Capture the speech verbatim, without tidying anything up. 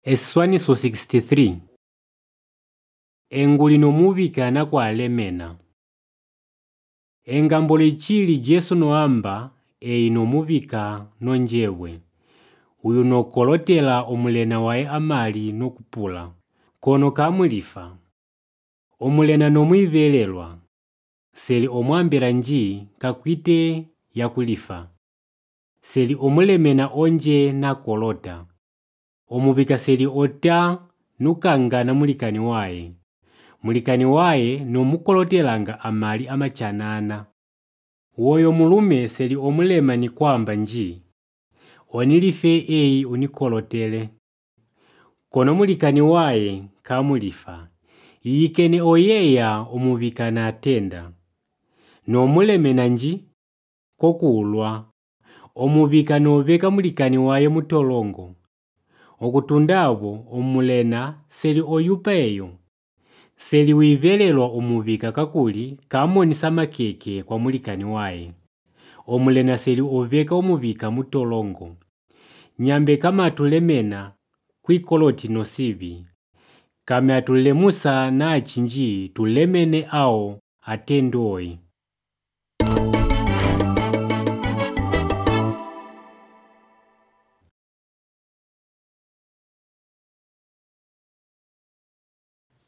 Eswaniso sixty-three. Engu linomuvika kwa alemena. Engambo lichili Jesu noamba e inomuvika nonjewe. Uyu nokolotela omulena wae amali nokupula. Kono kamulifa. Omulena nomwivelelwa. Seli omwambela nji kakwite ya kulifa. Seli omulemena onje na kolota. Omuvika seli ota nukangana mulikani wae. Mulikani wae nomukolotelanga amali amachanana. Woyo mulume seli omulema ni kwamba nji. Onilife ei unikolotele. Kono mulikani wae kamulifa. Iyikene oyeya omuvika na atenda. No mulemena nji kokuulwa. Omuvika noveka mulikani wae mutolongo. Okutundabo omulena seli oyupa eyo. Seli wivelelwa omuvika kakuli kamonisa makeke kwa mulikani wae. Omulena seli oveka omuvika mutolongo. Nyambe kama atulemena kuikoloti nosivi. Kame atulemusa na achinji tulemene ao atendoi.